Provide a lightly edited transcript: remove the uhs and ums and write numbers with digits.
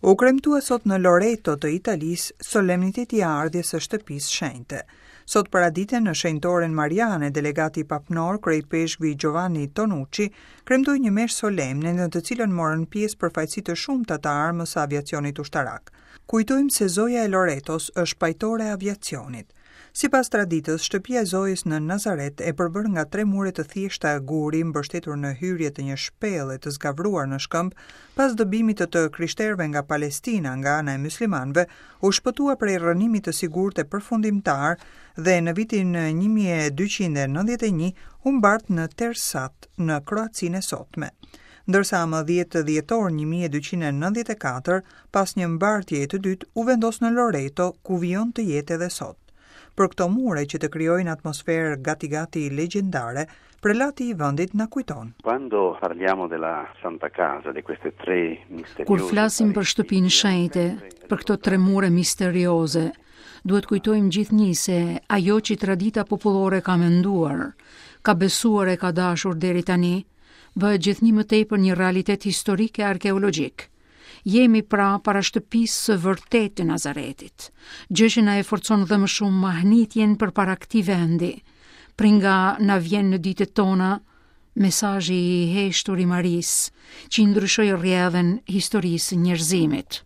U kremtua sot në Loreto të Italisë solemniteti i ardhjes së Shtëpisë Shenjte. Sot paradite në Shenjtoren Mariane, delegati papnor, kryeipeshkvi Giovanni Tonucci, kremtoi një meshë solemne në të cilën morën pjesë përfaqësi të shumta të armës së aviacionit ushtarak. Kujtojmë se Zoja e Loretos është pajtore e aviacionit. Sipas traditës, shtëpia e Zojës në Nazaret, e përbërë nga tre mure të thjeshta guri mbështetur në hyrje të një shpelle të zgavruar në shkëmb, pas dëbimit të të krishterëve nga Palestina nga ana e myslimanëve, u shpëtua prej rrënimit të sigurt e përfundimtar dhe në vitin 1291 u mbart në Tersat, në Kroacinë e sotme. Ndërsa më 10 dhjetor 1294, pas një mbartjeje të dytë, u vendos në Loreto, ku vijon të jetë edhe sot. Për këto mure që të krijojnë atmosferë gati-gati legjendare, prelati i vendit na kujton. Quando parliamo della Santa Casa, di queste tre misteriose Kur flasim për shtëpinë shenjte, për këto tre mure misterioze, duhet kujtojmë gjithnjë se ajo që tradita popullore ka menduar, ka besuar e ka dashur deri tani, bëhet gjithnjë më tepër një realitet historik e arkeologjik. Jemi pra para shtëpisë së vërtetë të Nazaretit, gjë që na e forcon dhe më shumë mahnitjen përpara këtij vendi, prej nga na vjen në ditët tona mesazhi i heshtur i Marisë, që i ndryshoi rrjedhën historisë së njerëzimit.